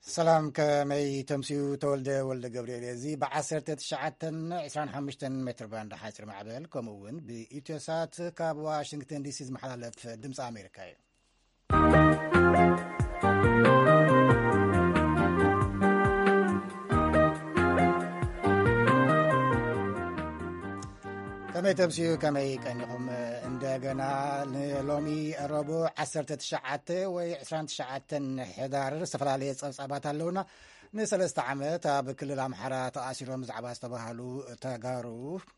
ሰላም፣ ከመይ ተምስዩ? ተወልደ ወልደ ገብርኤል። እዚ ብ19 25 ሜትር ባንድ ሓፂር ማዕበል፣ ከምኡ እውን ብኢትዮሳት ካብ ዋሽንግተን ዲሲ ዝመሓላለፍ ድምፂ ኣሜሪካ እዩ። ከመይ ተምስዩ፣ ከመይ ቀኒኹም? እንደገና ንሎሚ ረቡዕ 19 ወይ 29 ሕዳር ዝተፈላለየ ጸብጻባት ኣለውና። ንሰለስተ ዓመት ኣብ ክልል ኣምሓራ ተኣሲሮም ብዛዕባ ዝተባህሉ ተጋሩ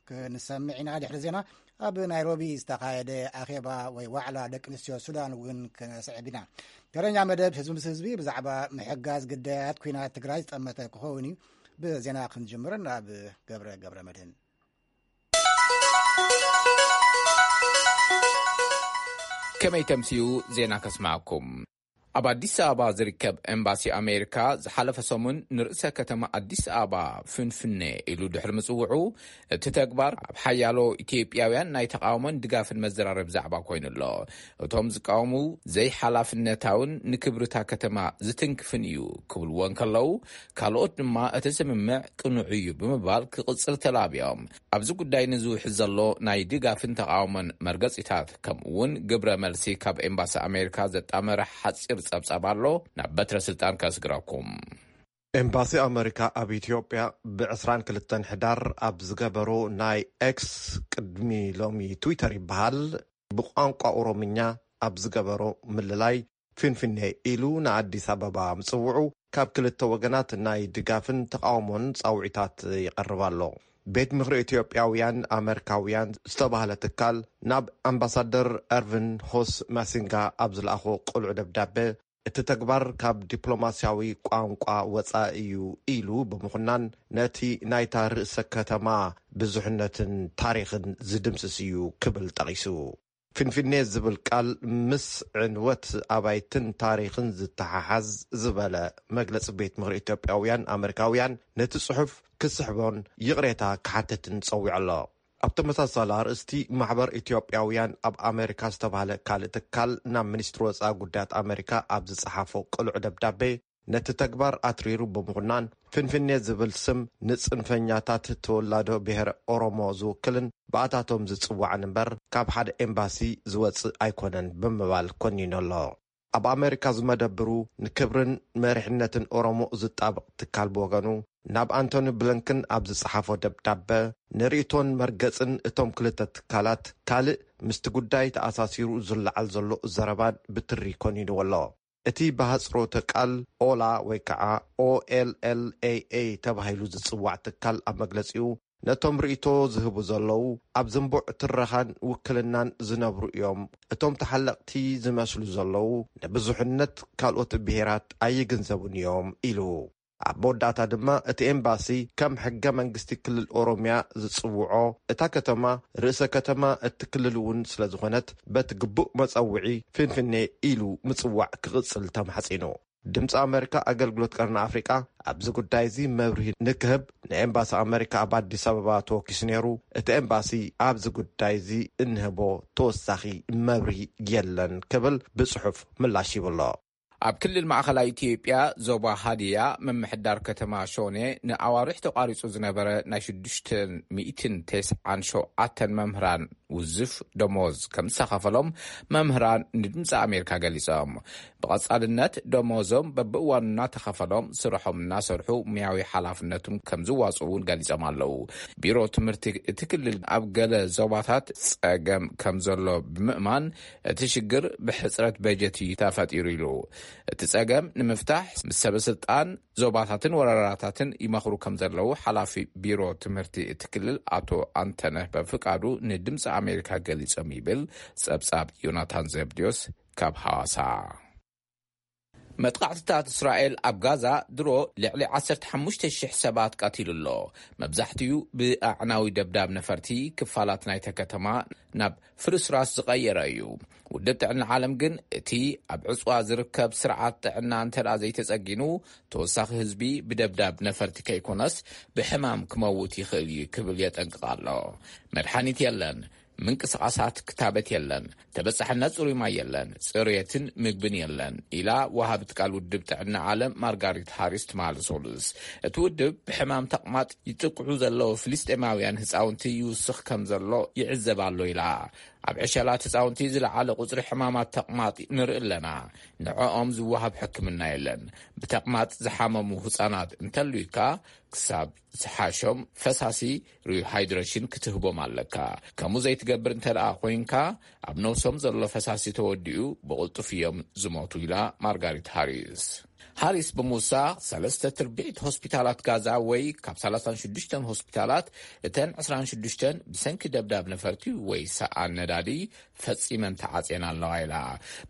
ክንሰምዕ ኢና። ድሕሪ ዜና ኣብ ናይሮቢ ዝተኻየደ ኣኼባ ወይ ዋዕላ ደቂ ኣንስትዮ ሱዳን እውን ክነስዕብ ኢና። ተረኛ መደብ ህዝቢ ምስ ህዝቢ ብዛዕባ ምሕጋዝ ግዳያት ኲናት ትግራይ ዝጠመተ ክኸውን እዩ። ብዜና ክንጅምር ናብ ገብረ ገብረ መድህን። ከመይ ተምስዩ ዜና ከስማዕኩም። ኣብ ኣዲስ ኣበባ ዝርከብ ኤምባሲ ኣሜሪካ ዝሓለፈ ሰሙን ንርእሰ ከተማ ኣዲስ ኣበባ ፍንፍኔ ኢሉ ድሕሪ ምጽውዑ፣ እቲ ተግባር ኣብ ሓያሎ ኢትዮጵያውያን ናይ ተቓውሞን ድጋፍን መዘራረቢ ዛዕባ ኮይኑ ኣሎ። እቶም ዝቃወሙ ዘይሓላፍነታውን ንክብርታ ከተማ ዝትንክፍን እዩ ክብልዎ እንከለዉ፣ ካልኦት ድማ እቲ ስምምዕ ቅኑዕ እዩ ብምባል ክቕጽል ተላብዮም። ኣብዚ ጉዳይ ንዝውሕዝ ዘሎ ናይ ድጋፍን ተቓውሞን መርገጺታት፣ ከምኡ እውን ግብረ መልሲ ካብ ኤምባሲ ኣሜሪካ ዘጣመረ ሓጺር ጸብጻብ ኣሎ። ናብ በትረ ስልጣን ከስግረኩም። ኤምባሲ ኣመሪካ ኣብ ኢትዮጵያ ብ22 ሕዳር ኣብ ዝገበሮ ናይ ኤክስ፣ ቅድሚ ሎሚ ትዊተር ይበሃል፣ ብቋንቋ ኦሮምኛ ኣብ ዝገበሮ ምልላይ፣ ፊንፊኔ ኢሉ ንኣዲስ ኣበባ ምጽውዑ፣ ካብ ክልተ ወገናት ናይ ድጋፍን ተቓውሞን ጻውዒታት ይቐርብ ኣሎ። ቤት ምኽሪ ኢትዮጵያውያን ኣመሪካውያን ዝተባህለ ትካል፣ ናብ ኣምባሳደር ኤርቪን ሆስ ማሲንጋ ኣብ ዝለኣኾ ቅሉዕ ደብዳበ፣ እቲ ተግባር ካብ ዲፕሎማስያዊ ቋንቋ ወጻኢ እዩ ኢሉ ብምኹናን፣ ነቲ ናይታ ርእሰ ከተማ ብዙሕነትን ታሪኽን ዝድምስስ እዩ ክብል ጠቒሱ። ፊንፊኔ ዝብል ቃል ምስ ዕንወት ኣባይትን ታሪኽን ዝተሓሓዝ ዝበለ መግለጺ ቤት ምኽሪ ኢትዮጵያውያን ኣመሪካውያን፣ ነቲ ጽሑፍ ክስሕቦን ይቕሬታ ክሓትትን ጸዊዑ ኣሎ። ኣብ ተመሳሳሊ ኣርእስቲ፣ ማሕበር ኢትዮጵያውያን ኣብ ኣመሪካ ዝተባህለ ካልእ ትካል ናብ ሚኒስትሪ ወጻኢ ጉዳያት ኣመሪካ ኣብ ዝጸሓፎ ቅሉዕ ደብዳቤ፣ ነቲ ተግባር ኣትሪሩ ብምኹናን፣ ፍንፍኔ ዝብል ስም ንጽንፈኛታት ተወላዶ ብሄረ ኦሮሞ ዝውክልን ብኣታቶም ዝጽዋዕን እምበር፣ ካብ ሓደ ኤምባሲ ዝወጽእ ኣይኮነን ብምባል ኮኒኑ ኣሎ። ኣብ ኣመሪካ ዝመደብሩ ንክብርን መሪሕነትን ኦሮሞ ዝጣበቕ ትካል ብወገኑ፣ ናብ ኣንቶኒ ብሊንከን ኣብ ዝጸሓፎ ደብዳበ፣ ንርእይቶን መርገጽን እቶም ክልተ ትካላት ካልእ ምስቲ ጉዳይ ተኣሳሲሩ ዝለዓል ዘሎ ዘረባን ብትሪ ኮኒንዎ ኣሎ። እቲ ብሃጽሮተ ቃል ኦላ ወይ ከዓ ኦኤልኤልኤኤ ተባሂሉ ዝጽዋዕ ትካል ኣብ መግለጺኡ፣ ነቶም ርእይቶ ዝህቡ ዘለዉ ኣብ ዝንቡዕ ትረኻን ውክልናን ዝነብሩ እዮም። እቶም ተሓለቕቲ ዝመስሉ ዘለዉ ንብዙሕነት ካልኦት ብሄራት ኣይግንዘቡን እዮም ኢሉ። ኣብ መወዳእታ ድማ እቲ ኤምባሲ ከም ሕገ መንግስቲ ክልል ኦሮምያ ዝጽውዖ፣ እታ ከተማ ርእሰ ከተማ እቲ ክልል እውን ስለ ዝኾነት በቲ ግቡእ መጸውዒ ፍንፍኔ ኢሉ ምጽዋዕ ክቕጽል ተማሕጺኑ። ድምፂ ኣመሪካ ኣገልግሎት ቀርኒ ኣፍሪቃ ኣብዚ ጉዳይ እዚ መብርሂ ንክህብ ንኤምባሲ ኣመሪካ ኣብ ኣዲስ ኣበባ ተወኪሱ ነይሩ። እቲ ኤምባሲ ኣብዚ ጉዳይ እዚ እንህቦ ተወሳኺ መብርሂ የለን ክብል ብጽሑፍ ምላሽ ይብሎ። ኣብ ክልል ማእኸላይ ኢትዮጵያ ዞባ ሃዲያ ምምሕዳር ከተማ ሾኔ ንኣዋርሕ ተቋሪፁ ዝነበረ ናይ ሽዱሽተ ሚእትን ተስዓን ሸውዓተን መምህራን ውዝፍ ደሞዝ ከም ዝተኸፈሎም መምህራን ንድምፂ ኣሜሪካ ገሊፆም። ብቐፃልነት ደሞዞም በብእዋኑ እናተኸፈሎም ስርሖም እናሰርሑ ሙያዊ ሓላፍነቶም ከም ዝዋፅኡ እውን ገሊፆም ኣለዉ። ቢሮ ትምህርቲ እቲ ክልል ኣብ ገለ ዞባታት ፀገም ከም ዘሎ ብምእማን እቲ ሽግር ብሕፅረት በጀት እዩ ተፈጢሩ ኢሉ። እቲ ፀገም ንምፍታሕ ምስ ሰበስልጣን ዞባታትን ወረዳታትን ይመኽሩ ከም ዘለዉ ሓላፊ ቢሮ ትምህርቲ እቲ ክልል ኣቶ ኣንተነህ በፍቃዱ ንድምፂ ኣሜሪካ ገሊፆም ይብል ፀብፃብ ዮናታን ዘብድዮስ ካብ ሃዋሳ። መጥቃዕትታት እስራኤል ኣብ ጋዛ ድሮ ልዕሊ ዓሰርተ ሓሙሽተ ሽሕ ሰባት ቀቲሉ ኣሎ። መብዛሕትኡ ብኣዕናዊ ደብዳብ ነፈርቲ ክፋላት ናይተ ከተማ ናብ ፍርስራስ ዝቐየረ እዩ። ውድብ ጥዕና ዓለም ግን እቲ ኣብ ዕጽዋ ዝርከብ ስርዓት ጥዕና እንተ ዘይተጸጊኑ፣ ተወሳኺ ህዝቢ ብደብዳብ ነፈርቲ ከይኮነስ ብሕማም ክመውት ይኽእል እዩ ክብል የጠንቅቕ ኣሎ። መድሓኒት የለን። ምንቅስቓሳት ክታበት የለን፣ ተበጻሕነት ጽሩይ ማይ የለን፣ ጽሬትን ምግብን የለን ኢላ ወሃብት ቃል ውድብ ጥዕና ዓለም ማርጋሪት ሃሪስ ትማሊ ሶሉስ። እቲ ውድብ ብሕማም ተቕማጥ ይጥቅዑ ዘለዉ ፍልስጤማውያን ህፃውንቲ ይውስኽ ከም ዘሎ ይዕዘብ ኣሎ ኢላ። ኣብ ዕሸላት ህፃውንቲ ዝለዓለ ቁፅሪ ሕማማት ተቕማጥ ንርኢ ኣለና። ንዕኦም ዝወሃብ ሕክምና የለን። ብተቕማጥ ዝሓመሙ ህፃናት እንተልዩካ ክሳብ ዝሓሾም ፈሳሲ ሪሃይድሬሽን ክትህቦም ኣለካ። ከምኡ ዘይትገብር እንተ ደኣ ኮይንካ ኣብ ነብሶም ዘሎ ፈሳሲ ተወዲኡ ብቕልጡፍ እዮም ዝሞቱ ኢላ ማርጋሪት ሃሪስ። ሃሪስ ብምውሳኽ ሰለስተ ትርቢዒት ሆስፒታላት ጋዛ ወይ ካብ ሰላሳን ሽዱሽተን ሆስፒታላት እተን ዕስራን ሽዱሽተን ብሰንኪ ደብዳብ ነፈርቲ ወይ ሰኣን ነዳዲ ፈጺመን ተዓጽየን ኣለዋ ኢላ።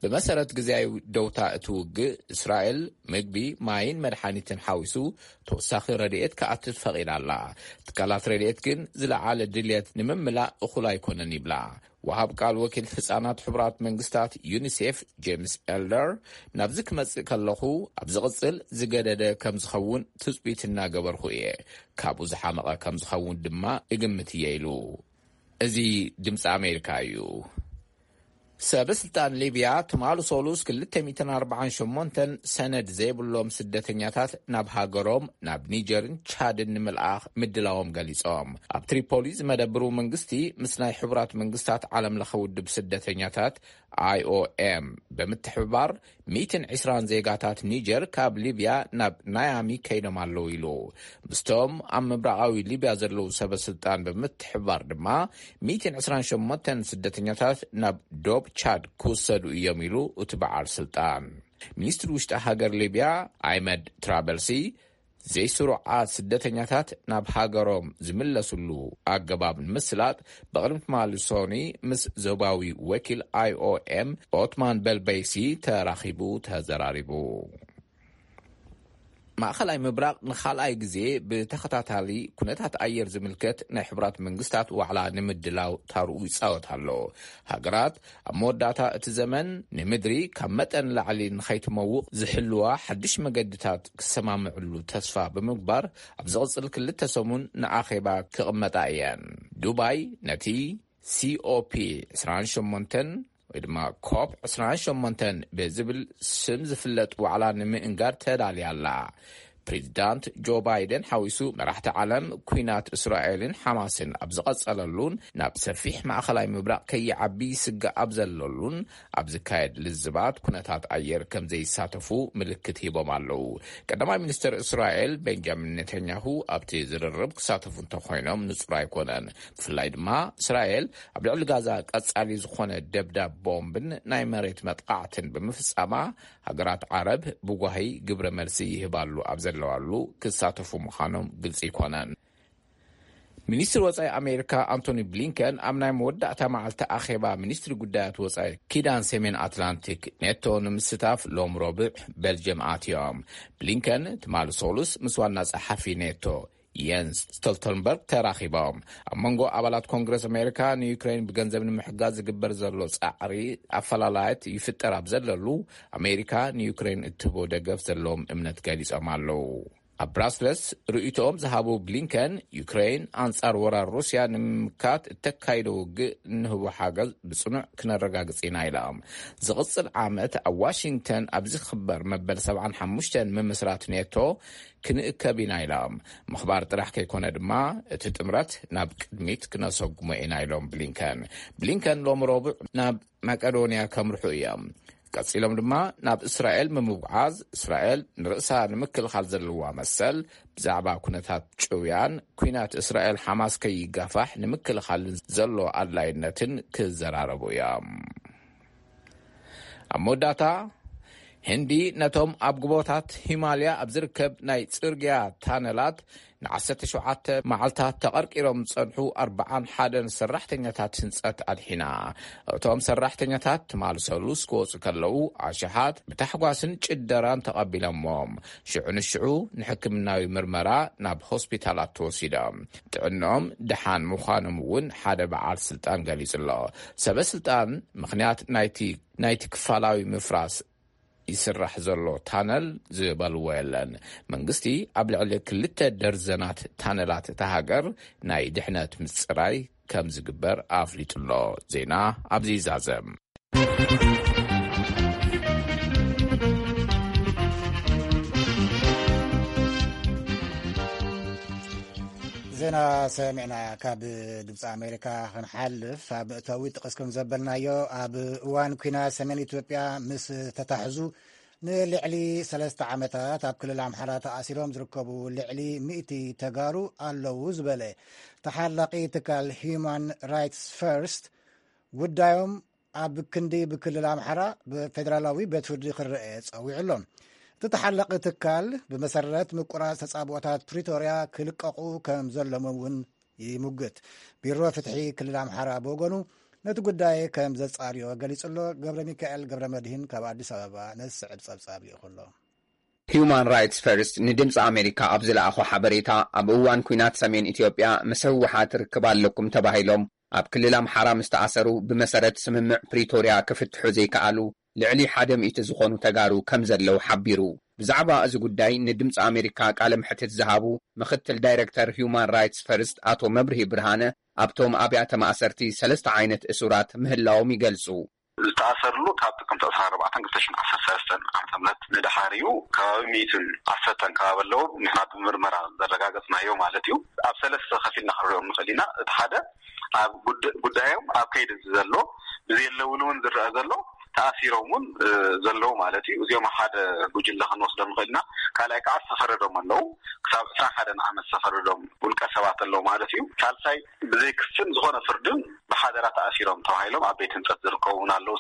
ብመሰረት ግዜያዊ ደውታ እቲ ውግእ እስራኤል ምግቢ፣ ማይን መድሓኒትን ሓዊሱ ተወሳኺ ረድኤት ክኣትት ፈቒዳ ኣላ። ትካላት ረድኤት ግን ዝለዓለ ድልየት ንምምላእ እኹል ኣይኮነን ይብላ። ወሃብ ቃል ወኪል ህጻናት ሕቡራት መንግስታት ዩኒሴፍ ጄምስ ኤልደር፣ ናብዚ ክመጽእ ከለኹ ኣብ ዝቕጽል ዝገደደ ከም ዝኸውን ትጽቢት እናገበርኩ እየ፣ ካብኡ ዝሓመቐ ከም ዝኸውን ድማ እግምት እየ ኢሉ። እዚ ድምፂ ኣሜሪካ እዩ። ሰበ ስልጣን ሊብያ ትማሊ ሶሉስ ክልተ ሚእትን ኣርባዓን ሸሞንተን ሰነድ ዘይብሎም ስደተኛታት ናብ ሃገሮም ናብ ኒጀርን ቻድን ንምልኣኽ ምድላዎም ገሊጾም። ኣብ ትሪፖሊ ዝመደብሩ መንግስቲ ምስ ናይ ሕቡራት መንግስታት ዓለም ለኸ ውድብ ስደተኛታት ኣይኦኤም ብምትሕብባር ሚእትን ዕስራን ዜጋታት ኒጀር ካብ ሊብያ ናብ ናያሚ ከይዶም ኣለዉ ኢሉ። ምስቶም ኣብ ምብራቓዊ ሊብያ ዘለዉ ሰበ ስልጣን ብምትሕብባር ድማ ሚእትን ዕስራን ሸሞንተን ስደተኛታት ናብ ዶብ ቻድ ክውሰዱ እዮም ኢሉ እቲ በዓል ስልጣን። ሚኒስትሪ ውሽጢ ሃገር ሊብያ ኣይመድ ትራበልሲ ዘይስሩዓት ስደተኛታት ናብ ሃገሮም ዝምለስሉ ኣገባብ ንምስላጥ ብቕድሚ ትማሊ ሶኒ ምስ ዞባዊ ወኪል ኣይኦኤም ኦትማን በልበይሲ ተራኺቡ ተዘራሪቡ። ማእኸላይ ምብራቕ ንኻልኣይ ግዜ ብተኸታታሊ ኩነታት ኣየር ዝምልከት ናይ ሕቡራት መንግስታት ዋዕላ ንምድላው ታርኡ ይጻወት ኣሎ። ሃገራት ኣብ መወዳእታ እቲ ዘመን ንምድሪ ካብ መጠን ላዕሊ ንኸይትመውቕ ዝሕልዋ ሓድሽ መገድታት ክሰማምዕሉ ተስፋ ብምግባር፣ ኣብ ዝቕጽል ክልተ ሰሙን ንኣኼባ ክቕመጣ እየን። ዱባይ ነቲ ሲ ኦ ፒ ዕስራን ሸሞንተን ወይ ድማ ኮፕ ዕስራን ሸሞንተን ብዝብል ስም ዝፍለጥ ዋዕላ ንምእንጋድ ተዳልያ ኣላ። ፕሬዚዳንት ጆ ባይደን ሓዊሱ መራሕቲ ዓለም፣ ኲናት እስራኤልን ሓማስን ኣብ ዝቐጸለሉን ናብ ሰፊሕ ማእኸላይ ምብራቕ ከይዓቢ ይስጋእ ኣብ ዘለሉን ኣብ ዝካየድ ልዝባት ኩነታት ኣየር ከም ዘይሳተፉ ምልክት ሂቦም ኣለዉ። ቀዳማይ ሚኒስትር እስራኤል ቤንጃሚን ኔታንያሁ ኣብቲ ዝርርብ ክሳተፉ እንተኾይኖም ንጹር ኣይኮነን። ብፍላይ ድማ እስራኤል ኣብ ልዕሊ ጋዛ ቀጻሊ ዝኾነ ደብዳብ ቦምብን ናይ መሬት መጥቃዕትን ብምፍጻማ፣ ሃገራት ዓረብ ብጓሂ ግብረ መልሲ ይህባሉ ኣብ ዘለዋሉ ክሳተፉ ምዃኖም ግልጺ ኣይኮነን። ሚኒስትሪ ወጻኢ ኣሜሪካ ኣንቶኒ ብሊንከን ኣብ ናይ መወዳእታ መዓልቲ ኣኼባ ሚኒስትሪ ጉዳያት ወጻኢ ኪዳን ሰሜን ኣትላንቲክ ኔቶ ንምስታፍ ሎም ረቡዕ ቤልጅየም ኣትዮም። ብሊንከን ትማሊ ሶሉስ ምስ ዋና ጸሓፊ ኔቶ የንስ ስቶልተንበርግ ተራኺቦም። ኣብ መንጎ ኣባላት ኮንግረስ ኣሜሪካ ንዩክሬን ብገንዘብ ንምሕጋዝ ዝግበር ዘሎ ጻዕሪ ኣፈላላያት ይፍጠር ኣብ ዘለሉ፣ ኣሜሪካ ንዩክሬን እትህቦ ደገፍ ዘለዎም እምነት ገሊጾም ኣለዉ። ኣብ ብራስለስ ርእይቶኦም ዝሃቡ ብሊንከን፣ ዩክሬን ኣንጻር ወራር ሩስያ ንምምካት እተካይዶ ውግእ እንህቦ ሓገዝ ብጽኑዕ ክነረጋግጽ ኢና ኢሎም። ዝቕጽል ዓመት ኣብ ዋሽንግተን ኣብ ዝኽበር መበል ሰብዓን ሓሙሽተን ምምስራት ኔቶ ክንእከብ ኢና ኢሎም። ምኽባር ጥራሕ ከይኮነ ድማ እቲ ጥምረት ናብ ቅድሚት ክነሰጉሞ ኢና ኢሎም ብሊንከን። ብሊንከን ሎም ረቡዕ ናብ መቄዶንያ ከምርሑ እዮም። ቀጺሎም ድማ ናብ እስራኤል ብምጉዓዝ፣ እስራኤል ንርእሳ ንምክልኻል ዘለዋ መሰል፣ ብዛዕባ ኩነታት ጭውያን፣ ኲናት እስራኤል ሓማስ ከይጋፋሕ ንምክልኻልን ዘሎ ኣድላይነትን ክዘራረቡ እዮም። ኣብ መወዳእታ፣ ህንዲ ነቶም ኣብ ጎቦታት ሂማልያ ኣብ ዝርከብ ናይ ጽርግያ ታነላት ንዓሰርተ ሸውዓተ መዓልታት ተቐርቂሮም ዝጸንሑ ኣርብዓን ሓደን ሰራሕተኛታት ህንጸት ኣድሒና። እቶም ሰራሕተኛታት ትማሊ ሰሉስ ክወጹ ከለዉ፣ ኣሽሓት ብታሕጓስን ጭደራን ተቐቢሎምዎም። ሽዑ ንሽዑ ንሕክምናዊ ምርመራ ናብ ሆስፒታላት ተወሲዶም። ጥዕንኦም ደሓን ምዃኖም እውን ሓደ በዓል ስልጣን ገሊጹ ኣሎ። ሰበ ስልጣን ምኽንያት ናይቲ፣ ናይቲ ክፋላዊ ምፍራስ ይስራሕ ዘሎ ታነል ዝበልዎ የለን። መንግስቲ ኣብ ልዕሊ ክልተ ደርዘናት ታነላት እታ ሃገር ናይ ድሕነት ምጽራይ ከም ዝግበር ኣፍሊጡ ኣሎ። ዜና ኣብዚ ይዛዘም። ዜና ሰሚዕና ካብ ድምፂ ኣሜሪካ ክንሓልፍ፣ ኣብ መእተዊ ጥቕስ ከም ዘበልናዮ፣ ኣብ እዋን ኲናት ሰሜን ኢትዮጵያ ምስ ተታሕዙ ንልዕሊ ሰለስተ ዓመታት ኣብ ክልል ኣምሓራ ተኣሲሮም ዝርከቡ ልዕሊ ሚእቲ ተጋሩ ኣለዉ ዝበለ ተሓላቒ ትካል ሂዩማን ራይትስ ፈርስት፣ ጉዳዮም ኣብ ክንዲ ብክልል ኣምሓራ ብፌደራላዊ ቤት ፍርዲ ክረአ ጸዊዑ ኣሎ። እቲ ተሓላቒ ትካል ብመሰረት ምቁራጽ ተጻብኦታት ፕሪቶርያ ክልቀቑ ከም ዘለዎም እውን ይሙግት። ቢሮ ፍትሒ ክልል ኣምሓራ ብወገኑ ነቲ ጉዳይ ከም ዘጻርዮ ገሊጹ ኣሎ። ገብረ ሚካኤል ገብረ መድህን ካብ ኣዲስ ኣበባ ነዚ ዝስዕብ ጸብጻብ ልኢኹ ኣሎ። ሂዩማን ራይትስ ፈርስት ንድምፂ ኣሜሪካ ኣብ ዝለኣኾ ሓበሬታ፣ ኣብ እዋን ኲናት ሰሜን ኢትዮጵያ ምስ ህወሓት ርክብ ኣለኩም ተባሂሎም ኣብ ክልል ኣምሓራ ምስ ተኣሰሩ፣ ብመሰረት ስምምዕ ፕሪቶርያ ክፍትሑ ዘይከኣሉ ልዕሊ ሓደ ሚእቲ ዝኾኑ ተጋሩ ከም ዘለዉ ሓቢሩ። ብዛዕባ እዚ ጉዳይ ንድምፂ ኣሜሪካ ቃለ መሕትት ዝሃቡ ምኽትል ዳይረክተር ሂዩማን ራይትስ ፈርስት ኣቶ መብርሂ ብርሃነ፣ ኣብቶም ኣብያተ ማእሰርቲ ሰለስተ ዓይነት እሱራት ምህላዎም ይገልጹ። ዝተኣሰርሉ ካብ ጥቅምቲ ዕስራን ኣርባዕተን ክልተ ሽሕን ዓሰርተ ሰለስተን ዓመተ ምህረት ንደሓር እዩ። ከባቢ ሚእትን ዓሰርተን ከባቢ ኣለዉ። ንሕና ብምርመራ ዘረጋገጽናዮ ማለት እዩ። ኣብ ሰለስተ ከፊልና ክንሪኦም ንኽእል ኢና። እቲ ሓደ ኣብ ጉድ-፣ ጉዳዮም ኣብ ከይዲ ዘሎ፣ ብዘየለውሉ እውን ዝረአ ዘሎ፣ ተኣሲሮም እውን፣ እ፣ ዘለዉ ማለት እዩ። እዚኦም ሓደ ጉጅለ ክንወስዶም ንኽእል ኢና። ካልኣይ ከዓ ዝተፈረዶም ኣለዉ። ክሳብ ዕስራን ሓደን ዓመት ዝተፈረዶም ውልቀ ሰባት ኣለዉ ማለት እዩ። ሳልሳይ ብዘይ ክስን ዝኾነ ፍርድን ብሓደራ ተኣሲሮም ተባሂሎም ኣብ ቤት ህንፀት ዝርከቡ እውን ኣለዉ።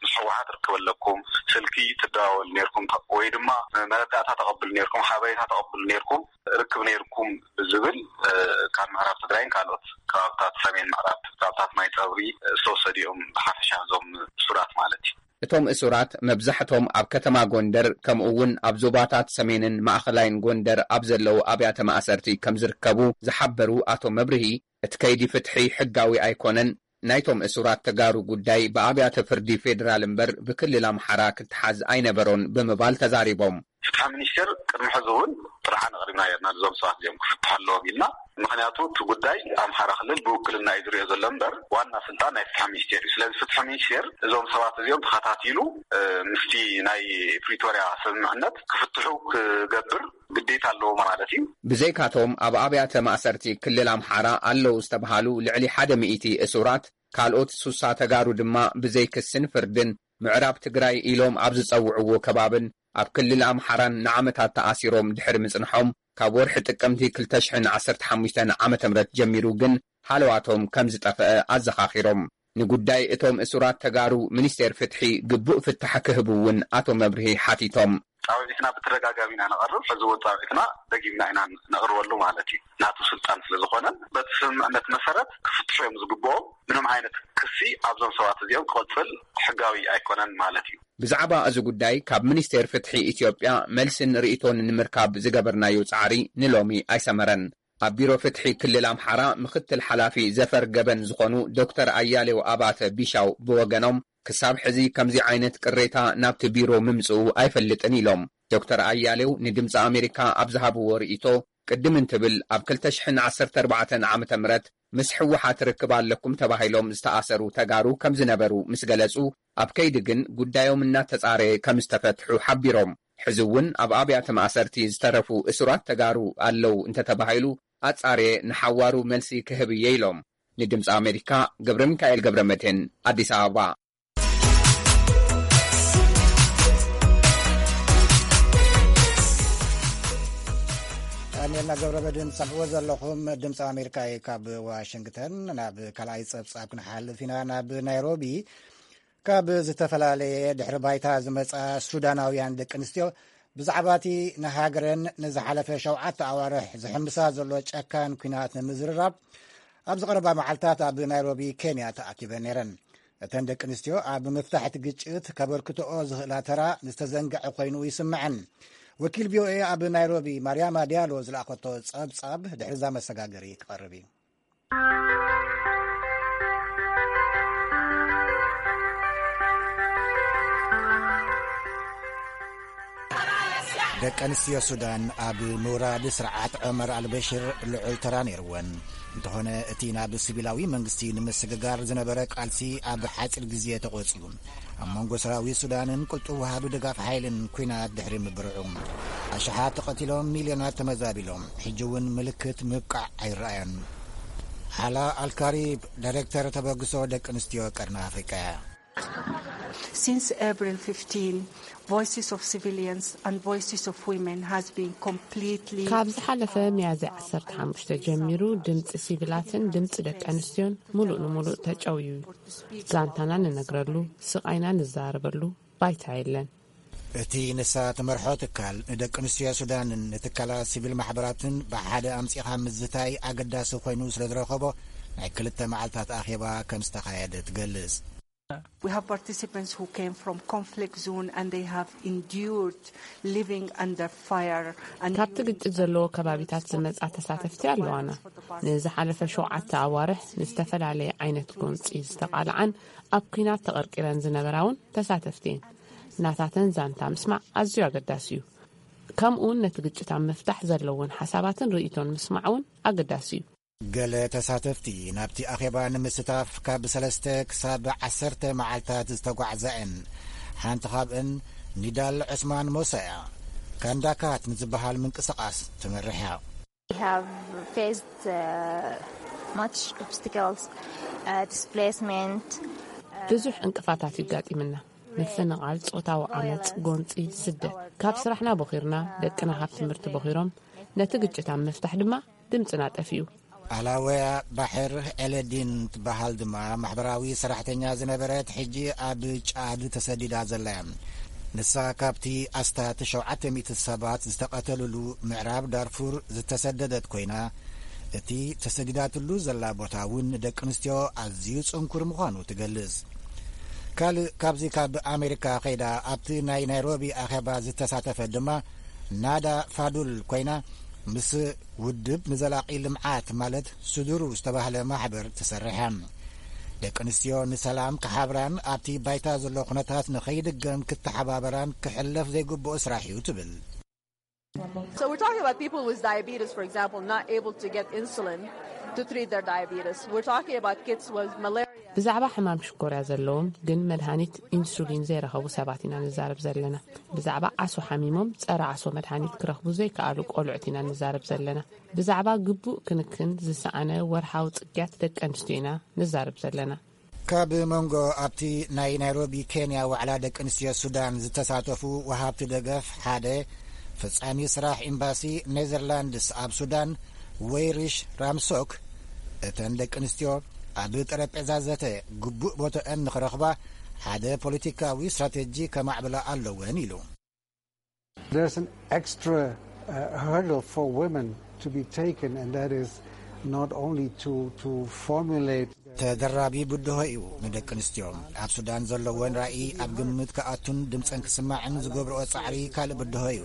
ምስ ህወሓት ርክብ ኣለኩም፣ ስልኪ ትደዋወሉ ነይርኩም፣ ተ-፣ ወይ ድማ መረዳእታ ተቐብሉ ነይርኩም፣ ሓበሬታ ተቐብሉ ነይርኩም፣ ርክብ ነይርኩም ብዝብል፣ እ፣ ካብ ምዕራብ ትግራይን ካልኦት ከባብታት ሰሜን ምዕራብ፣ ከባብታት ማይ ፀብሪ፣ እ፣ ዝተወሰዱ እዮም ብሓፈሻ እዞም እሱራት ማለት እዩ። እቶም እሱራት መብዛሕቶም ኣብ ከተማ ጎንደር፣ ከምኡ እውን ኣብ ዞባታት ሰሜንን ማእኸላይን ጎንደር ኣብ ዘለዉ ኣብያተ ማእሰርቲ ከም ዝርከቡ ዝሓበሩ ኣቶ መብርሂ፣ እቲ ከይዲ ፍትሒ ሕጋዊ ኣይኮነን፣ ናይቶም እሱራት ተጋሩ ጉዳይ ብኣብያተ ፍርዲ ፌደራል እምበር ብክልል ኣምሓራ ክትሓዝ ኣይነበሮን ብምባል ተዛሪቦም። ፍትሒ ሚኒስቴር ቅድሚ ሕዚ እውን ጥርዓን ኣቕሪብና ነርና፣ እዞም ሰባት እዚኦም ክፍትሑ ኣለዎም ኢልና። ምኽንያቱ እቲ ጉዳይ ኣምሓራ ክልል ብውክልና እዩ ዝሪኦ ዘሎ እምበር ዋና ስልጣን ናይ ፍትሒ ሚኒስቴር እዩ። ስለዚ ፍትሒ ሚኒስቴር እዞም ሰባት እዚኦም ተኸታቲሉ፣ እ፣ ምስቲ ናይ ፕሪቶርያ ስምምዕነት ክፍትሑ ክገብር ግዴታ ኣለዎ ማለት እዩ። ብዘይካቶም ኣብ ኣብያተ ማእሰርቲ ክልል ኣምሓራ ኣለዉ ዝተብሃሉ ልዕሊ ሓደ ሚእቲ እሱራት፣ ካልኦት ሱሳ ተጋሩ ድማ ብዘይ ክስን ፍርድን ምዕራብ ትግራይ ኢሎም ኣብ ዝጸውዕዎ ከባብን ኣብ ክልል ኣምሓራን ንዓመታት ተኣሲሮም ድሕሪ ምጽንሖም፣ ካብ ወርሒ ጥቅምቲ ክልተ ሽሕን ዓሰርተ ሓሙሽተን ዓመተ ምህረት ጀሚሩ ግን ሃለዋቶም ከም ዝጠፍአ ኣዘኻኺሮም። ንጉዳይ እቶም እሱራት ተጋሩ ሚኒስቴር ፍትሒ ግቡእ ፍታሕ ክህብ እውን ኣቶ መብርሂ ሓቲቶም። ጻውዒትና ብተደጋጋሚ ኢና ነቐርብ። ሕዚ እውን ጻውዒትና ደጊምና ኢና ነቕርበሉ ማለት እዩ። ናቱ ስልጣን ስለ ዝኾነን በቲ ስምምዕነት መሰረት ክፍትሑ እዮም ዝግብኦም። ምንም ዓይነት ክሲ ኣብዞም ሰባት እዚኦም ክቕጽል ሕጋዊ ኣይኮነን ማለት እዩ። ብዛዕባ እዚ ጉዳይ ካብ ሚኒስቴር ፍትሒ ኢትዮጵያ መልስን ርእይቶን ንምርካብ ዝገበርናዮ ጻዕሪ ንሎሚ ኣይሰመረን። ኣብ ቢሮ ፍትሒ ክልል ኣምሓራ ምኽትል ሓላፊ ዘፈር ገበን ዝኾኑ ዶክተር ኣያሌው ኣባተ ቢሻው ብወገኖም፣ ክሳብ ሕዚ ከምዚ ዓይነት ቅሬታ ናብቲ ቢሮ ምምጽኡ ኣይፈልጥን ኢሎም። ዶክተር ኣያሌው ንድምፂ ኣሜሪካ ኣብ ዝሃብዎ ርእይቶ፣ ቅድም እንትብል ኣብ ክልተ ሽሕን ዓሰርተ ኣርባዕተን ዓመተ ምህረት ምስ ህወሓት ርክብ ኣለኩም ተባሂሎም ዝተኣሰሩ ተጋሩ ከም ዝነበሩ ምስ ገለጹ፣ ኣብ ከይዲ ግን ጉዳዮም እናተጻረየ ከም ዝተፈትሑ ሓቢሮም። ሕዚ እውን ኣብ ኣብያተ ማእሰርቲ ዝተረፉ እሱራት ተጋሩ ኣለዉ እንተተባሂሉ፣ ኣጻርየ ንሓዋሩ መልሲ ክህብ እየ ኢሎም። ንድምፂ ኣሜሪካ ገብረ ሚካኤል ገብረ መድህን፣ ኣዲስ ኣበባ። ዳንኤልና ገብረ መድህን ትሰምዕዎ ዘለኹም ድምፂ ኣሜሪካ እዩ ካብ ዋሽንግተን። ናብ ካልኣይ ፀብፃብ ክንሓልፍ ኢና። ናብ ናይሮቢ ካብ ዝተፈላለየ ድሕሪ ባይታ ዝመጻ ሱዳናውያን ደቂ ኣንስትዮ ብዛዕባ እቲ ንሃገረን ንዝሓለፈ ሸውዓተ ኣዋርሕ ዝሕምሳ ዘሎ ጨካን ኲናት ንምዝርራብ ኣብዚ ቀረባ መዓልታት ኣብ ናይሮቢ ኬንያ ተኣኪበን ነይረን። እተን ደቂ ኣንስትዮ ኣብ ምፍታሕ እቲ ግጭት ከበርክትኦ ዝኽእላ ተራ ዝተዘንግዐ ኮይኑ ይስምዐን። ወኪል ቪኦኤ ኣብ ናይሮቢ ማርያማ ዲያሎ ዝለኣኸቶ ጸብጻብ ድሕሪ እዛ መሰጋገሪ ክቐርብ እዩ። ደቂ ኣንስትዮ ሱዳን ኣብ ምውራድ ስርዓት ዑመር ኣልበሽር ልዑል ተራ ነይርወን። እንተኾነ፣ እቲ ናብ ሲቪላዊ መንግስቲ ንምስግጋር ዝነበረ ቃልሲ ኣብ ሓጺር ግዜ ተቖጽዩ። ኣብ መንጎ ሰራዊት ሱዳንን ቅልጡፍ ወሃቢ ድጋፍ ሓይልን ኲናት ድሕሪ ምብርዑ፣ ኣሽሓት ተቐቲሎም፣ ሚልዮናት ተመዛቢሎም። ሕጂ እውን ምልክት ምብቃዕ ኣይረኣዮን። ሓላ ኣልካሪብ፣ ዳይሬክተር ተበግሶ ደቂ ኣንስትዮ ቀርኒ ኣፍሪቃ እያ። Since April fifteen, voices of civilians and voices of women has been completely ካብ ዝሓለፈ ሚያዝያ ዓሰርተ ሓሙሽተ ጀሚሩ ድምፂ ሲቪላትን ድምፂ ደቂ ኣንስትዮን ሙሉእ ንሙሉእ ተጨውዩ እዩ። ዛንታና ንነግረሉ፣ ስቓይና ንዛረበሉ ባይታ የለን። እቲ ንሳ ትመርሖ ትካል ንደቂ ኣንስትዮ ሱዳንን ንትካላት ሲቪል ማሕበራትን ብሓደ ኣምጺኻ ምዝታይ ኣገዳሲ ኮይኑ ስለ ዝረኸቦ፣ ናይ ክልተ መዓልታት ኣኼባ ከም ዝተኻየደ ትገልጽ። We have participants who came from conflict zone and they have endured living under fire and ካብቲ ግጭት ዘለዎ ከባቢታት ዝመጻ ተሳተፍቲ ኣለዋና። ንዝሓለፈ ሸውዓተ ኣዋርሕ ንዝተፈላለየ ዓይነት ጎንጺ ዝተቓልዓን ኣብ ኲናት ተቐርቂረን ዝነበራ እውን ተሳተፍቲ እየን። ናታተን ዛንታ ምስማዕ ኣዝዩ ኣገዳሲ እዩ። ከምኡ እውን ነቲ ግጭት ኣብ ምፍታሕ ዘለውን ሓሳባትን ርእይቶን ምስማዕ እውን ኣገዳሲ እዩ። ገለ ተሳተፍቲ ናብቲ ኣኼባ ንምስታፍ ካብ ሰለስተ ክሳብ ዓሰርተ መዓልታት ዝተጓዕዛ እየን። ሓንቲ ካብእን ኒዳል ዑስማን ሞሳ እያ። ካንዳካት ንዝበሃል ምንቅስቓስ ትመርሕ እያ። We have faced uh, much obstacles, uh, displacement. ብዙሕ ዕንቅፋታት ይጋጢምና። ምፍንቓል፣ ጾታዊ ዓመጽ፣ ጎንጺ፣ ስደት። ካብ ስራሕና ቦኺርና፣ ደቅና ካብ ትምህርቲ ቦኺሮም፣ ነቲ ግጭት ኣብ ምፍታሕ ድማ ድምጽና ጠፊኡ። ኣላወያ ባሕር ኤለዲን ትበሃል ድማ ማሕበራዊ ሰራሕተኛ ዝነበረት፣ ሕጂ ኣብ ጫድ ተሰዲዳ ዘላ እያ። ንሳ ካብቲ ኣስታት ሸውዓተ ሚእቲ ሰባት ዝተቐተልሉ ምዕራብ ዳርፉር ዝተሰደደት ኮይና፣ እቲ ተሰዲዳትሉ ዘላ ቦታ እውን ንደቂ ኣንስትዮ ኣዝዩ ጽንኩር ምዃኑ ትገልጽ። ካልእ ካብዚ ካብ ኣሜሪካ ከይዳ ኣብቲ ናይ ናይሮቢ ኣኼባ ዝተሳተፈት ድማ ናዳ ፋዱል ኮይና፣ ምስ ውድብ ንዘላቒ ልምዓት ማለት ስዱሩ ዝተባህለ ማሕበር ትሰርሕ እያ። ደቂ ኣንስትዮ ንሰላም ክሓብራን ኣብቲ ባይታ ዘሎ ኩነታት ንኸይድገም ክተሓባበራን ክሕለፍ ዘይግብኦ ስራሕ እዩ ትብል። So we're talking about people with diabetes, for example, not able to get insulin to treat their diabetes. We're talking about kids with malaria. ብዛዕባ ሕማም ሽኮርያ ዘለዎም ግን መድሃኒት ኢንሱሊን ዘይረኸቡ ሰባት ኢና ንዛረብ ዘለና። ብዛዕባ ዓሶ ሓሚሞም ጸረ ዓሶ መድሃኒት ክረኽቡ ዘይከኣሉ ቆልዑት ኢና ንዛረብ ዘለና። ብዛዕባ ግቡእ ክንክን ዝሰኣነ ወርሓዊ ጽግያት ደቂ ኣንስትዮ ኢና ንዛረብ ዘለና። ካብ መንጎ ኣብቲ ናይ ናይሮቢ ኬንያ ዋዕላ ደቂ ኣንስትዮ ሱዳን ዝተሳተፉ ወሃብቲ ደገፍ ሓደ ፈጻሚ ስራሕ ኤምባሲ ኔዘርላንድስ ኣብ ሱዳን ወይሪሽ ራምሶክ፣ እተን ደቂ ኣንስትዮ ኣብ ጠረጴዛ ዘተ ግቡእ ቦቶአን ንኽረኽባ ሓደ ፖለቲካዊ ስትራቴጂ ከማዕብላ ኣለወን ኢሉ። There's an extra uh, hurdle for women to be taken, and that is not only to, to formulate. ተደራቢ ብድሆ እዩ ንደቂ ኣንስትዮ ኣብ ሱዳን ዘለወን ራእይ ኣብ ግምት ክኣቱን ድምፀን ክስማዕን ዝገብርኦ ፃዕሪ ካልእ ብድሆ እዩ።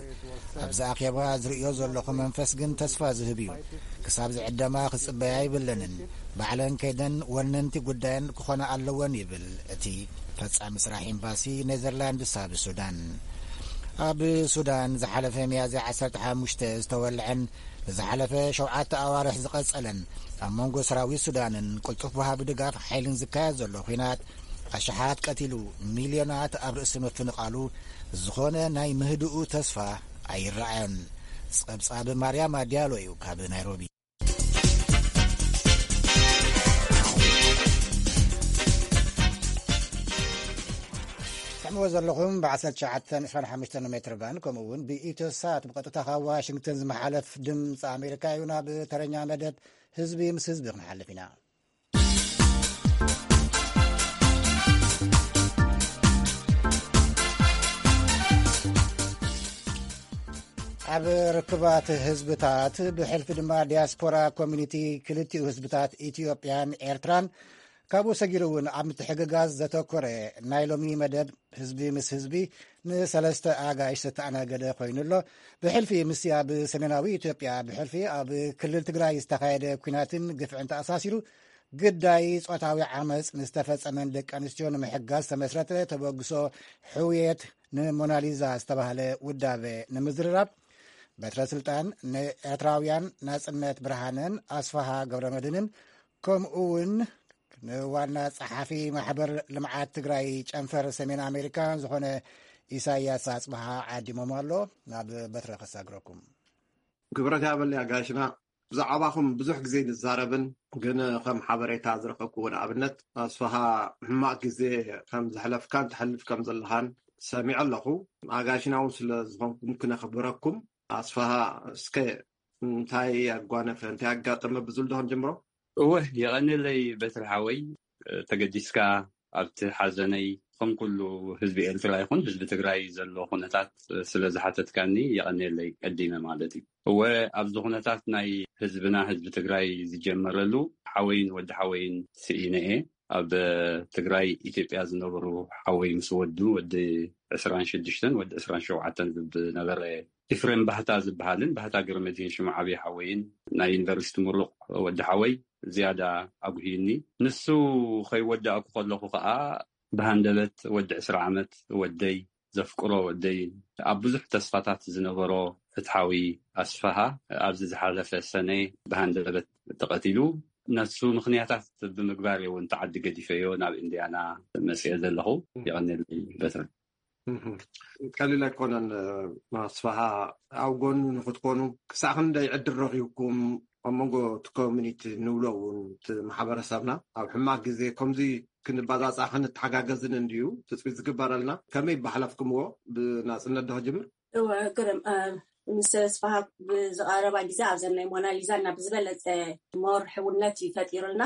ኣብዚ ኣኼባ ዝርእዮ ዘለኹ መንፈስ ግን ተስፋ ዝህብ እዩ። ክሳብ ዝዕደማ ክፅበያ ይብለንን፣ ባዕለን ከይደን ወነንቲ ጉዳየን ክኾና ኣለወን ይብል እቲ ፈፃሚ ስራሕ ኤምባሲ ኔዘርላንድስ ኣብ ሱዳን። ኣብ ሱዳን ዝሓለፈ ሚያዝያ ዓሰርተ ሓሙሽተ ዝተወልዐን ንዝሓለፈ ሸውዓተ ኣዋርሕ ዝቐጸለን ኣብ መንጎ ሰራዊት ሱዳንን ቅልጡፍ ወሃቢ ድጋፍ ሓይልን ዝካየድ ዘሎ ኲናት ኣሽሓት ቀቲሉ፣ ሚልዮናት ኣብ ርእሲ ምፍንቓሉ ዝኾነ ናይ ምህድኡ ተስፋ ኣይረኣዮን። ጸብጻብ ማርያማ ዲያሎ እዩ ካብ ናይሮቢ። ትሰምዕዎ ዘለኹም ብ1925 ሜትር ባንድ ከምኡ እውን ብኢትዮ ሳት ብቐጥታ ካብ ዋሽንግተን ዝመሓለፍ ድምፂ ኣሜሪካ እዩ። ናብ ተረኛ መደብ ህዝቢ ምስ ህዝቢ ክንሓልፍ ኢና። ኣብ ርክባት ህዝብታት ብሕልፊ ድማ ዲያስፖራ ኮሚኒቲ ክልቲኡ ህዝብታት ኢትዮጵያን ኤርትራን ካብኡ ሰጊሩ እውን ኣብ ምትሕግጋዝ ዘተኮረ ናይ ሎሚ መደብ ህዝቢ ምስ ህዝቢ ንሰለስተ ኣጋይሽ ዝተኣናገደ ኮይኑ ኣሎ። ብሕልፊ ምስቲ ኣብ ሰሜናዊ ኢትዮጵያ ብሕልፊ ኣብ ክልል ትግራይ ዝተኻየደ ኲናትን ግፍዕን ተኣሳሲሩ ግዳይ ጾታዊ ዓመፅ ንዝተፈጸመን ደቂ ኣንስትዮ ንምሕጋዝ ዝተመስረተ ተበግሶ ሕውየት ንሞናሊዛ ዝተባህለ ውዳበ ንምዝርራብ፣ በትረ ስልጣን ንኤርትራውያን ናጽነት ብርሃነን ኣስፋሃ ገብረመድህንን፣ ከምኡ እውን ንዋና ጸሓፊ ማሕበር ልምዓት ትግራይ ጨንፈር ሰሜን ኣሜሪካ ዝኾነ ኢሳያስ ኣጽብሃ ዓዲሞም ኣሎ። ናብ በትረ ከሳግረኩም። ክብረት ያበል ኣጋሽና። ብዛዕባኹም ብዙሕ ግዜ ንዛረብን፣ ግን ከም ሓበሬታ ዝረኸብኩዎ ንኣብነት ኣስፋሃ ሕማቕ ግዜ ከም ዘሕለፍካን ትሕልፍ ከም ዘለኻን ሰሚዐ ኣለኹ። ኣጋሽና እውን ስለ ዝኾንኩም ክነኽብረኩም። ኣስፋሃ፣ እስከ እንታይ ኣጓነፈ፣ እንታይ ኣጋጠመ ብዝብል ዶ ክንጅምሮ? እወ፣ የቐንየለይ በትሪ ሓወይ፣ ተገዲስካ ኣብቲ ሓዘነይ ከም ኩሉ ህዝቢ ኤርትራ ይኹን ህዝቢ ትግራይ ዘሎ ኩነታት ስለ ዝሓተትካኒ የቐንየለይ ቀዲመ ማለት እዩ። እወ፣ ኣብዚ ኩነታት ናይ ህዝብና ህዝቢ ትግራይ ዝጀመረሉ ሓወይን ወዲ ሓወይን ስኢነ እየ። ኣብ ትግራይ ኢትዮጵያ ዝነበሩ ሓወይ ምስ ወዱ ወዲ ዕስራን ሽዱሽተን ወዲ ዕስራን ሸውዓተን ዝነበረ ኢፍሬም ባህታ ዝበሃልን ባህታ ገረመድህን ሽሙ ዓብዪ ሓወይን ናይ ዩኒቨርሲቲ ምሩቕ ወዲ ሓወይ ዝያዳ ኣጉህዩኒ። ንሱ ከይወዳእኩ ከለኹ ከዓ ብሃንደበት ወዲ ዕስራ ዓመት ወደይ ዘፍቅሮ ወደይ ኣብ ብዙሕ ተስፋታት ዝነበሮ ፍትሓዊ ኣስፋሃ ኣብዚ ዝሓለፈ ሰነ ብሃንደበት ተቐቲሉ። ነሱ ምኽንያታት ብምግባር እየ እውን ተዓዲ ገዲፈዮ ናብ ኢንዲያና መፅአ ዘለኹ። የቐንየለይ በትረ። እህ፣ ቀሊል ኣይኮነን። ኣስፋሃ፣ ኣብ ጎኑ ንክትኮኑ ክሳዕ ክንደይ ዕድል ረኺብኩም? ኣብ መንጎ እቲ ኮሚኒቲ ንብሎ እውን እቲ ማሕበረሰብና ኣብ ሕማቅ ግዜ ከምዚ ክንባጻጻ ክንተሓጋገዝን እንድዩ ትጽቢት ዝግበረልና። ከመይ ባሕለፍኩምዎ? ብናጽነት ዶ ክጅምር? እወ፣ ግርም፣ እ፣ ምስ ኣስፋሃ ብዝቐረባ ግዜ ኣብዘን ናይ ሞናሊዛ እና ብዝበለጸ ሞር ሕውነት እዩ ፈጢሩልና።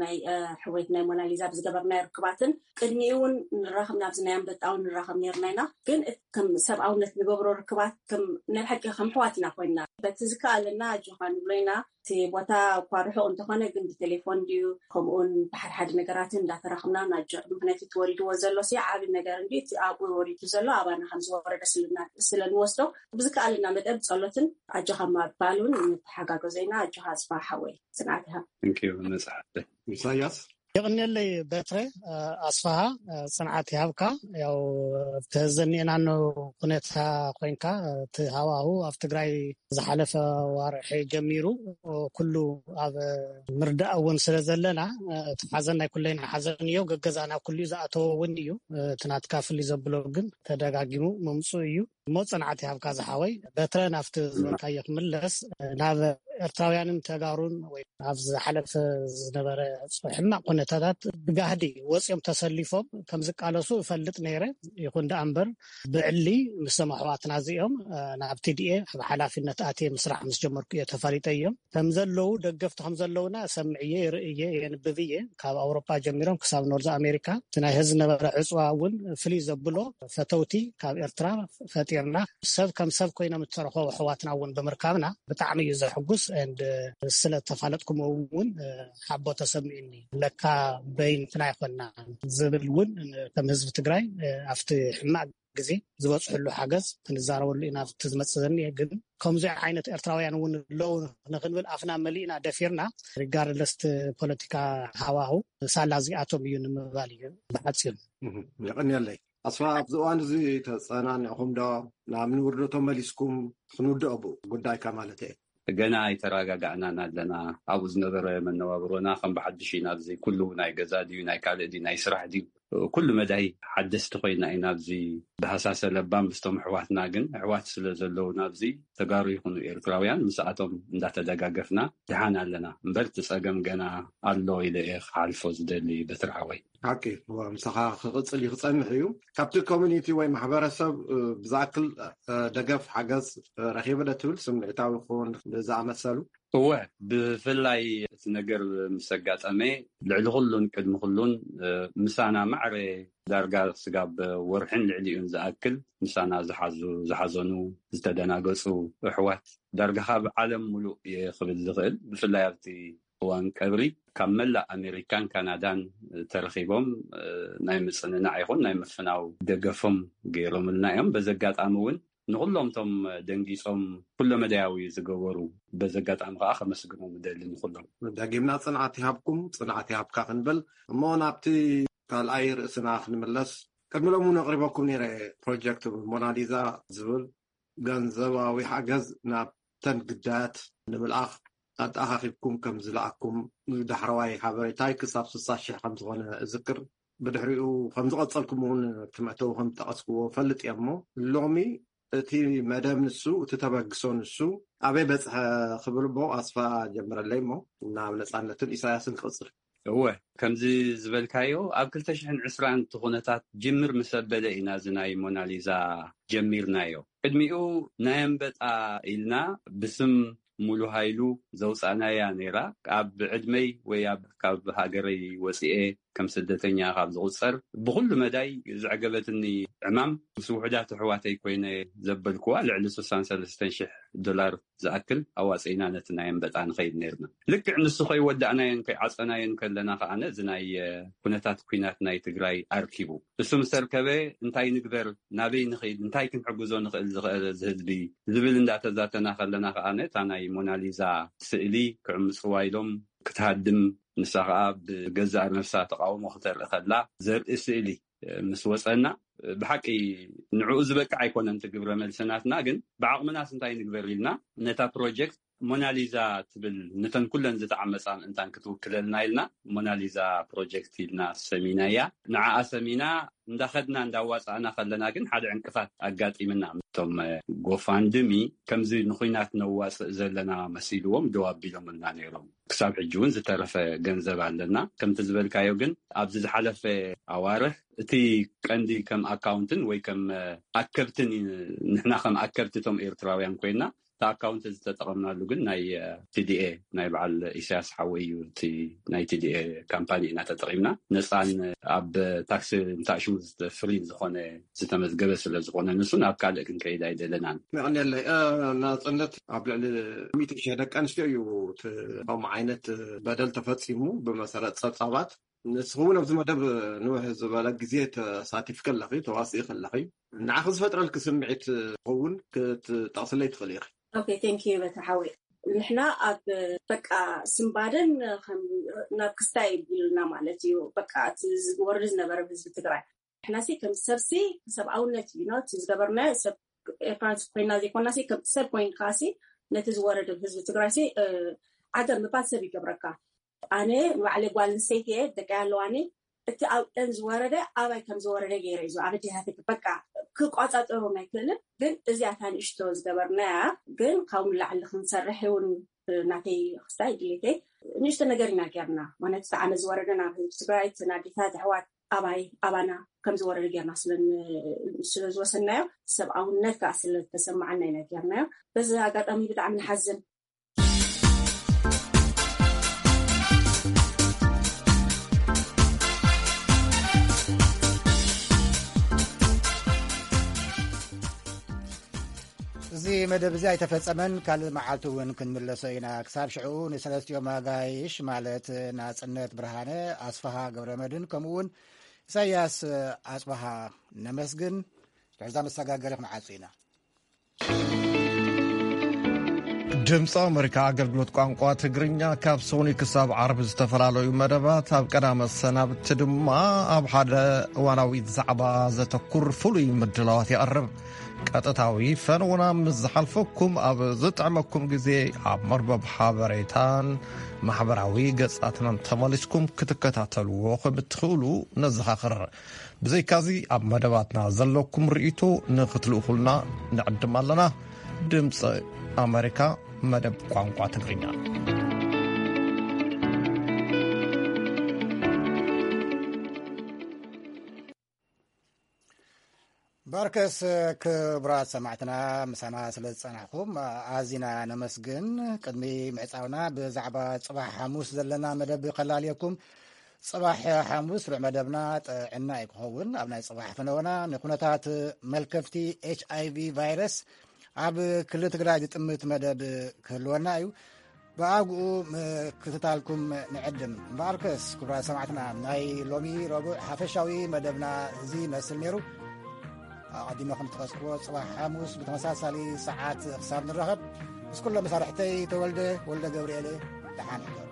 ናይ፣ እ፣ ሕውነት ናይ ሞናሊዛ ብዝገበርናዮ ርክባትን ቅድሚኡ እውን ንራኸብ፣ ናብዚ ናይ ኣንበጣ እውን ንራኸብ ነርና ኢና። ግን እቲ ከም ሰብኣውነት ንገብሮ ርክባት ከም ናይ ብሓቂ ከም ኣሕዋት ኢና ኮይንና። በቲ ዝከኣለና ኣጆኻ ንብሎ ኢና። እቲ ቦታ እኳ ርሑቕ እንተኾነ ግን ብቴሌፎን ድዩ ከምኡውን ብሓድሓደ ነገራትን እንዳተራኽብና ናጆ፣ ምክንያቱ እቲ ወሪድዎ ዘሎ ሲ ዓቢ ነገር እንዲ እቲ ኣብኡ ወሪዱ ዘሎ ኣባና ከም ዝወረደ ስልና-፣ ስለ ንወስዶ ብዝከኣለና መጠን ብጸሎትን ኣጆኻ ምባል እውን ንተሓጋገዞ ኢና። ኣጆኻ ኣስፋ ሓወይ ጽንዓት ይሃብ። ንኪ መጽሓፍ ኢሳያስ። የቕንየለይ በትረ፣ እ፣ ኣስፋሃ፣ እ፣ ጽንዓት ይሃብካ። ያው ኣብቲ ዘኒኤናኖ ኩነታ ኮይንካ፣ እ፣ እቲ ሃዋሁ ኣብ ትግራይ ዝሓለፈ ዋርሒ ጀሚሩ፣ እ፣ ኩሉ ኣብ ምርዳእ እውን ስለ ዘለና፣ እ፣ እቲ ሓዘን ናይ ኩለይና ሓዘን እዩ። ገገዛና ኩሉ ዝኣተወ እውን እዩ። እ፣ እቲ ናትካ ፍልይ ዘብሎ ግን ተደጋጊሙ ምምፁ እዩ። እሞ ጽንዓት ይሃብካ ዝሓወይ። በትረ፣ ናብቲ ዝበልካዮ ክምለስ፣ ናብ ኤርትራውያንን ተጋሩን ወይ ኣብ ዝሓለፈ ዝነበረ ሕማቕ ኩነታታት ብጋህዲ ወጺኦም ተሰሊፎም ከም ዝቃለሱ እፈልጥ ነይረ። ይኹን ደኣ እምበር ብዕሊ ምስቶም ኣሕዋትና እዚኦም፣ እ፣ ናብ ቲ ዲ ኤ ኣብ ሓላፊነት ኣትየ ምስራሕ ምስ ጀመርኩ እየ ተፋሊጠ እዮም። ከም ዘለዉ፣ ደገፍቲ ከም ዘለዉና እሰምዕ እየ፣ ይርኢ እየ፣ የንብብ እየ። ካብ ኣውሮጳ ጀሚሮም ክሳብ ኖርዝ ኣሜሪካ እቲ ናይ ህዝቢ ነበረ ዕፅዋ እውን ፍልይ ዘብሎ ፈተውቲ ካብ ኤርትራ ፈጢርና፣ ሰብ ከም ሰብ ኮይኖም እተረኸቡ ኣሕዋትና እውን ብምርካብና ብጣዕሚ እዩ ዘሕጉስ። And ስለ ተፋለጥኩም እውን ሓቦ ተሰሚዑኒ። ለካ በይንትና ኣይኮና ዝብል እውን ከም ህዝቢ ትግራይ ኣብቲ ሕማቅ ግዜ ዝበፅሕሉ ሓገዝ ክንዛረበሉ ኢና። ኣብቲ ዝመፅእ ዘኒኤ ግን ከምዚ ዓይነት ኤርትራውያን እውን ኣለዉ ንክንብል ኣፍና መሊእና ደፊርና፣ ሪጋርድለስ እቲ ፖለቲካ ሃዋሁ ሳላ እዚኣቶም እዩ ንምባል እዩ ብሓፂሩ። እህ፣ የቐንየለይ። ኣስፋ፣ ኣብዚ እዋን እዚ ተጸናኒዕኹም ዶ? ናብ ንውርዶ ተመሊስኩም? ክንውድኦ ብኡ ጉዳይካ ማለት እየ። ገና ኣይተረጋጋዕናን ኣለና። ኣብኡ ዝነበረ መነባብሮና ከም ብሓድሽ ኢና። ኣብዚ ኩሉ ናይ ገዛ ድዩ፣ ናይ ካልእ ድዩ፣ ናይ ስራሕ ድዩ፣ ኩሉ መዳይ ሓደስቲ ኮይና ኢና። ኣብዚ ብሃሳሰ ለባም ምስቶም ኣሕዋትና፣ ግን ኣሕዋት ስለ ዘለውና ኣብዚ ተጋሩ ይኹኑ ኤርትራውያን ምስኣቶም እንዳተደጋገፍና ድሓን ኣለና። እምበር እቲ ጸገም ገና ኣሎ ኢለ እየ ክሓልፎ ዝደሊ በትሪ ሓወይ። ሓቂ፣ እወ፣ ምሳኻ ክቕጽል እዩ፣ ክጸንሕ እዩ። ካብቲ ኮሚኒቲ ወይ ማሕበረሰብ፣ እ፣ ብዝኣክል፣ እ፣ ደገፍ፣ ሓገዝ፣ እ፣ ረኺበ ዶ ትብል ስምዒታዊ ክኸውን ዝኣመሰሉ? እወ፣ ብፍላይ እቲ ነገር ምስ ኣጋጠመ፣ ልዕሊ ኩሉን ቅድሚ ኩሉን፣ እ፣ ምሳና ማዕረ ዳርጋ ስጋብ ወርሕን ልዕሊኡን ዝኣክል ምሳና ዝሓዙ፣ ዝሓዘኑ፣ ዝተደናገጹ ኣሕዋት ዳርጋ ካብ ዓለም ሙሉእ እየ ክብል ዝኽእል። ብፍላይ ኣብቲ እዋን ቀብሪ ካብ መላእ ኣሜሪካን ካናዳን ተረኺቦም፣ እ፣ ናይ ምጽንናዕ ይኹን ናይ ምፍናው ደገፎም ገይሮምልና እዮም። በዚ ኣጋጣሚ እውን ንኹሎም እቶም ደንጊጾም ኩለመዳያዊ ዝገበሩ በዚ ኣጋጣሚ ከዓ ከመስግኖም እደሊ ንኹሎም። ደጊምና ጽንዓት ይሃብኩም፣ ጽንዓት ይሃብካ ክንብል። እሞ ናብቲ ካልኣይ ርእስና ክንምለስ፣ ቅድሚ ሎም እውን ኣቕሪበኩም ነይረ። ፕሮጀክት ሞናሊዛ ዝብል ገንዘባዊ ሓገዝ ናብተን ግዳያት ንምልኣኽ ኣተኣኻኺብኩም ከም ዝለኣኩም ዳሕረዋይ ሓበሬታይ ክሳብ ስሳ ሽሕ ከም ዝኾነ እዝክር። ብድሕሪኡ ከም ዝቐጸልኩም እውን ትመእተው ከም ዝጠቐስክዎ ፈልጥ እየ። እሞ ሎሚ እቲ መደብ ንሱ፣ እቲ ተበግሶ ንሱ ኣበይ በጽሐ ክብል እሞ ኣስፋ ጀምረለይ እሞ ናብ ነጻነትን ኢሳያስን ክቕጽል። እወ፣ ከምዚ ዝበልካዮ ኣብ ክልተ ሽሕን ዕስራን እቲ ኩነታት ጅምር ምስ ኣበለ ኢና እዚ ናይ ሞናሊዛ ጀሚርናዮ። ቅድሚኡ ናይ ኣንበጣ ኢልና ብስም ሙሉ ሃይሉ ዘውፃእናያ ነይራ። ኣብ ዕድመይ ወይ ኣብ ካብ ሃገረይ ወፂኤ ከም ስደተኛ ካብ ዝቑፀር ብኩሉ መዳይ ዘዕገበትኒ ዕማም ምስ ውሑዳት ኣሕዋተይ ኮይነ ዘበልኩዋ ልዕሊ ስሳን ሰለስተን ሽሕ ዶላር ዝኣክል ኣዋፀኢና ነቲ ናይ ኣንበጣ ንኸይድ ነርና። ልክዕ ንሱ ከይወዳእናዮን ከይዓፀናዮን ከለና ከዓነ እዚ ናይ ኩነታት ኩናት ናይ ትግራይ ኣርኪቡ። እሱ ምስ ኣርከበ እንታይ ንግበር፣ ናበይ ንኸይድ፣ እንታይ ክንሕግዞ ንኽእል ዝኽእል እዚ ህዝቢ ዝብል እንዳተዛተና ከለና ከዓነ እታ ናይ ሞናሊዛ ስእሊ ክዕምፅዋ ኢሎም ክትሃድም፣ ንሳ ከዓ ብገዛእ ነፍሳ ተቃውሞ ክተርኢ ከላ ዘርኢ ስእሊ ምስ ወፀና፣ ብሓቂ ንዕኡ ዝበቅዕ ኣይኮነን እቲ ግብረ መልሲ ናትና። ግን ብዓቕምናስ እንታይ ንግበር ኢልና ነታ ፕሮጀክት ሞናሊዛ ትብል፣ ነተን ኩለን ዝተዓመፃ ምእንታን ክትውክለልና ኢልና ሞናሊዛ ፕሮጀክት ኢልና ሰሚናያ። ንዓኣ ሰሚና እንዳኸድና እንዳዋፃእና ከለና ግን ሓደ ዕንቅፋት ኣጋጢምና። እቶም ጎፋንድሚ ከምዚ ንኩናት ነዋፅእ ዘለና መሲልዎም ደው ኣቢሎምልና ነይሮም። ክሳብ ሕጂ እውን ዝተረፈ ገንዘብ ኣለና። ከምቲ ዝበልካዮ ግን ኣብዚ ዝሓለፈ ኣዋርሕ እቲ ቀንዲ ከም ኣካውንትን ወይ ከም ኣከብትን፣ ንሕና ከም ኣከብቲ እቶም ኤርትራውያን ኮይና እቲ ኣካውንት ዝተጠቐምናሉ ግን ናይ ቲዲኤ፣ ናይ በዓል ኢሳያስ ሓወይ እዩ። እቲ ናይ ቲዲኤ ካምፓኒ ኢና ተጠቒምና። ነፃን ኣብ ታክሲ እንታሽሙ ፍሪ ዝኾነ ዝተመዝገበ ስለ ዝኾነ ንሱ ናብ ካልእ ክንከይድ ኣይደለናን። መቐንየለይ ናፅነት ኣብ ልዕሊ ሚእቲ ሽሕ ደቂ ኣንስትዮ እዩ እቲ ከምኡ ዓይነት በደል ተፈፂሙ። ብመሰረት ፀብፃባት ንስኺ እውን ኣብዚ መደብ ንውሕ ዝበለ ግዜ ተሳቲፍኪ ኣለኺ፣ ተዋስኢ ከለኺ ንዓኺ ዝፈጥረልኪ ስምዒት ክኸውን ክትጠቕስለይ ትኽእሊ ኢኺ። ኦኬ፣ ቴንክ ዩ በታ ሓወይ። ንሕና ኣብ በቃ ስምባደን ከም ናብ ክስታይ ቢሉና ማለት እዩ። በቃ እቲ ዝወርድ ዝነበረ ህዝቢ ትግራይ ንሕናሲ ከም ሰብሲ ሰብኣውነት እዩ እቲ ዝገበርናዮ። ሰብ ኤርትራን ኮይና ዘይኮናሲ ከም ሰብ ኮይንካሲ ነቲ ዝወረደ ህዝቢ ትግራይሲ ዓገብ ምባል ሰብ ይገብረካ። ኣነ ንባዕለይ ጓል ኣንስተይቲ እየ፣ ደቀይ ኣለዋኒ። እቲ ኣብአን ዝወረደ ኣባይ ከም ዝወረደ ገይረ እዩ ኣብ ኣዴታተይ በቃ ክቋፃፀሮም ኣይክእልን። ግን እዚኣታ ንእሽቶ ዝገበርናያ ግን ካብኡ ንላዕሊ ክንሰርሕ እውን ናተይ ክስታይ ድሌተይ ንእሽቶ ነገር ኢና ጌርና። ማለት እቲ ዓመት ዝወረደ ናብ ህዝቢ ትግራይ እቲ ናዴታት ኣሕዋት ኣባይ ኣባና ከም ዝወረደ ጌርና ስለ ዝወሰናዮ ሰብኣውነት ከዓ ስለ ዝተሰማዓና ኢና ጌርናዮ። በዚ ኣጋጣሚ ብጣዕሚ ንሓዝን። እዚ መደብ እዚ ኣይተፈጸመን። ካልእ መዓልቲ እውን ክንምለሶ ኢና። ክሳብ ሽዑ ንሰለስቲኦም ኣጋይሽ ማለት ናጽነት ብርሃነ፣ ኣስፍሃ ገብረመድህን ከምኡ እውን ኢሳያስ ኣጽብሃ ነመስግን። ድሕርዛ መሰጋገሪ ክንዓጹ ኢና። ድምፂ ኣመሪካ ኣገልግሎት ቋንቋ ትግርኛ ካብ ሶኒ ክሳብ ዓርቢ ዝተፈላለዩ መደባት፣ ኣብ ቀዳመ ሰናብቲ ድማ ኣብ ሓደ እዋናዊ ዛዕባ ዘተኩር ፍሉይ ምድላዋት የቕርብ። ቀጥታዊ ፈነውና ምስ ዝሓልፈኩም ኣብ ዝጥዕመኩም ግዜ ኣብ መርበብ ሓበሬታን ማሕበራዊ ገጻትናን ተመሊስኩም ክትከታተልዎ ከም እትኽእሉ ነዘኻኽር። ብዘይካዚ ኣብ መደባትና ዘለኩም ርእይቶ ንኽትልእኹልና ንዕድም ኣለና። ድምፂ ኣመሪካ መደብ ቋንቋ ትግርኛ። በርከስ ክቡራት ሰማዕትና ምሳና ስለ ዝጸናሕኩም ኣዚና ነመስግን። ቅድሚ ምዕጻውና ብዛዕባ ጽባሕ ሓሙስ ዘለና መደብ ከላልየኩም። ጽባሕ ሓሙስ ርዕ መደብና ጥዕና እዩ ክኸውን። ኣብ ናይ ጽባሕ ፈነወና ንኩነታት መልከፍቲ ኤች ኣይ ቪ ቫይረስ ኣብ ክልል ትግራይ ዝጥምት መደብ ክህልወና እዩ። ብኣግኡ ምክትታልኩም ንዕድም። እምበኣርከስ ክቡራት ሰማዕትና ናይ ሎሚ ረቡዕ ሓፈሻዊ መደብና እዚ ይመስል ነይሩ። ኣቐዲመ ከም ዝጠቐስክዎ ጽባሕ ሓሙስ ብተመሳሳሊ ሰዓት ክሳብ ንራኸብ ምስ ኩሎም መሳርሕተይ ተወልደ ወልደ ገብርኤል ደሓን ሕደሩ።